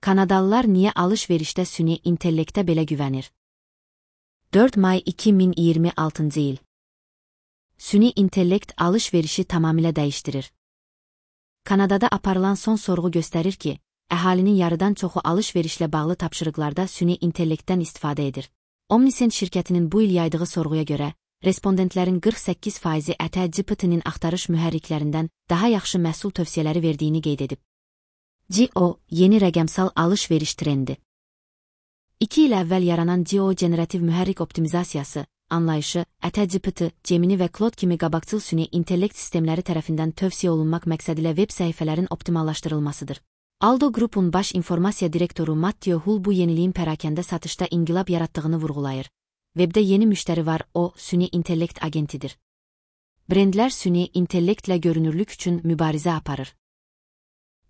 Kanadalılar niyə alış-verişdə süni intellektə belə güvənir? 4 may 2026 il. Süni intellekt alış-verişi tamamilə dəyişdirir. Kanadada aparılan son sorğu göstərir ki, əhalinin yarıdan çoxu alış-verişlə bağlı tapşırıqlarda süni intellektdən istifadə edir. Omnisend şirkətinin bu il yaydığı sorğuya görə, respondentlərin 48%-i ChatGPT-nin axtarış mühərriklərindən daha yaxşı məhsul tövsiyələri verdiyini qeyd edib. GO, yeni rəqəmsal alış-veriş trendi. 2 il əvvəl yaranan GO generativ mühərrik optimizasiyası, anlayışı, ChatGPT, Gemini və Claude kimi qabaqcıl süni intellekt sistemləri tərəfindən tövsiyə olunmaq məqsədilə web səhifələrin optimallaşdırılmasıdır. Aldo Group'un baş informasiya direktoru Matthew Hull bu yeniliyin pərakəndə satışda inqilab yaratdığını vurğulayır. Webdə yeni müştəri var, o, süni intellekt agentidir. Brendlər süni intellektlə görünürlük üçün mübarizə aparır.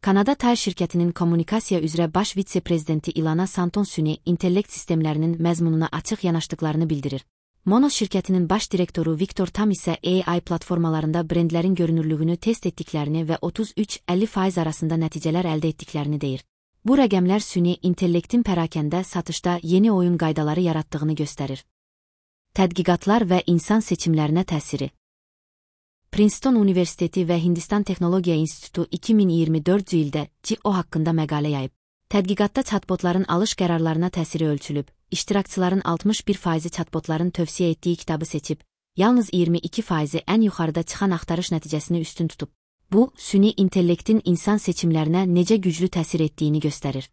Kanada Tire şirkətinin kommunikasiya üzrə baş vitse-prezidenti Ilana Santon süni intellekt sistemlərinin məzmununa açıq yanaşdıqlarını bildirir. Monos şirkətinin baş direktoru Victor Tam isə AI platformalarında brendlərin görünürlüyünü test etdiklərini və 33-50% arasında nəticələr əldə etdiklərini deyir. Bu rəqəmlər süni intellektin pərakəndə satışda yeni oyun qaydaları yaratdığını göstərir. Tədqiqatlar və insan seçimlərinə təsiri. Princeton Universiteti və Hindistan Texnologiya İnstitutu 2024 ildə GO haqqında məqalə yayıb. Tədqiqatda chatbotların alış qərarlarına təsiri ölçülüb, iştirakçıların 61%-i chatbotların tövsiyə etdiyi kitabı seçib, yalnız 22%-i ən yuxarıda çıxan axtarış nəticəsini üstün tutub. Bu, süni intellektin insan seçimlərinə necə güclü təsir etdiyini göstərir.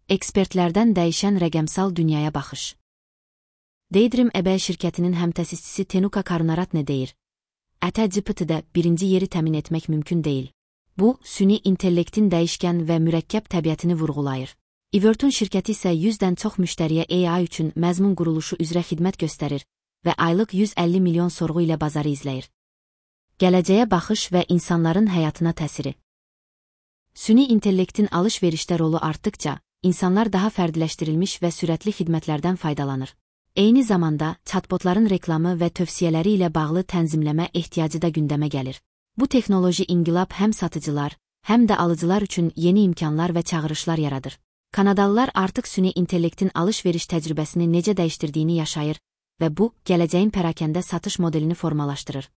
Ekspertlərdən dəyişən rəqəmsal dünyaya baxış. Daydream eBay şirkətinin həmtəsisçisi Tenuka Karunaratne deyir: ChatGPT-də birinci yeri təmin etmək mümkün deyil. Bu, süni intellektin dəyişkən və mürəkkəb təbiətini vurğulayır. Everton şirkəti isə 100-dən çox müştəriyə AI üçün məzmun quruluşu üzrə xidmət göstərir və aylıq 150 milyon sorğu ilə bazarı izləyir. Gələcəyə baxış və insanların həyatına təsiri. Süni intellektin alış-verişdə rolu artdıqca, insanlar daha fərdiləşdirilmiş və sürətli xidmətlərdən faydalanır. Eyni zamanda, chatbotların reklamı və tövsiyələri ilə bağlı tənzimləmə ehtiyacı da gündəmə gəlir. Bu texnoloji inqilab həm satıcılar, həm də alıcılar üçün yeni imkanlar və çağırışlar yaradır. Kanadalılar artıq süni intellektin alış-veriş təcrübəsini necə dəyişdirdiyini yaşayır və bu, gələcəyin pərakəndə satış modelini formalaşdırır.